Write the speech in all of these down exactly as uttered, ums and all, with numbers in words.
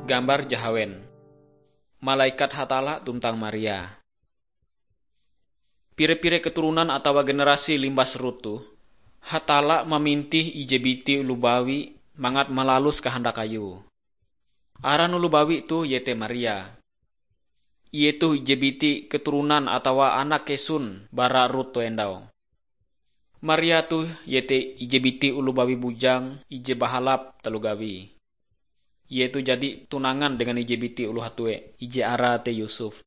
Gambar jahawen. Malaikat Hatalla tuntang Maria. Pire-pire keturunan atawa generasi limbas Rut toh, Hatalla mamintih ije biti oloh bawi mangat malalus kahandak Ayue. Aran oloh bawi toh iete Maria. Ie toh ije biti keturunan atawa anak kesun bara Rut toh endau. Maria toh iete ije biti oloh bawi bujang ije bahalap taloh gawie. Ie toh jadi tunangan dengan ije biti oloh hatue, ije arae te Yusuf.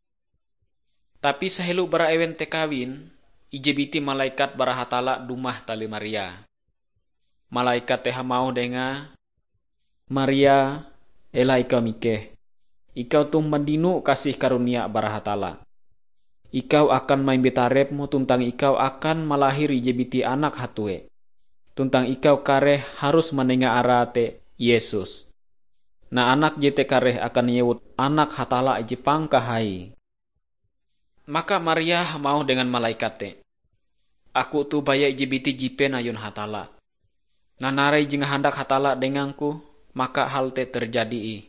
Tapi sahelo bara ewen te kawin, ije biti malaikat bara Hatalla dumah talih Maria. Malaikat te hamauh dengae, "Maria, ela ikau mikeh. Ikau toh mandino kasih karunia bara Hatalla. Ikau akan maimbi tarepm tuntang ikau akan malahir ije biti anak hatue. Tuntang ikau kareh harus manenga arae te Yesus. Nah, anak jete kareh akan inyewut Anak Hatalla je Pangkahai." Maka Maria hamauh dengan malaikat te, "Aku toh baya ije biti jipen ayun Hatalla. Nah, narai je ngahandak Hatalla dengangku, maka hal te terjadi ih."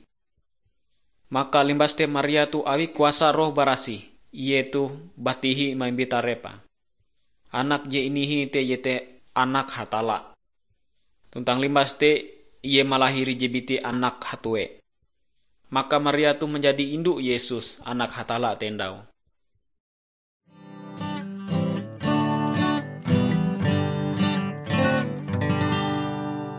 Maka limbas te Maria toh awi kuasa Roh Barasih, ie toh batihi maimbi tarepe. Anak je inihi te iete Anak Hatalla. Tuntang limbas te ie malahir ije biti anak hatue. Maka Maria toh manjadi indu Yesus, Anak Hatalla te endau.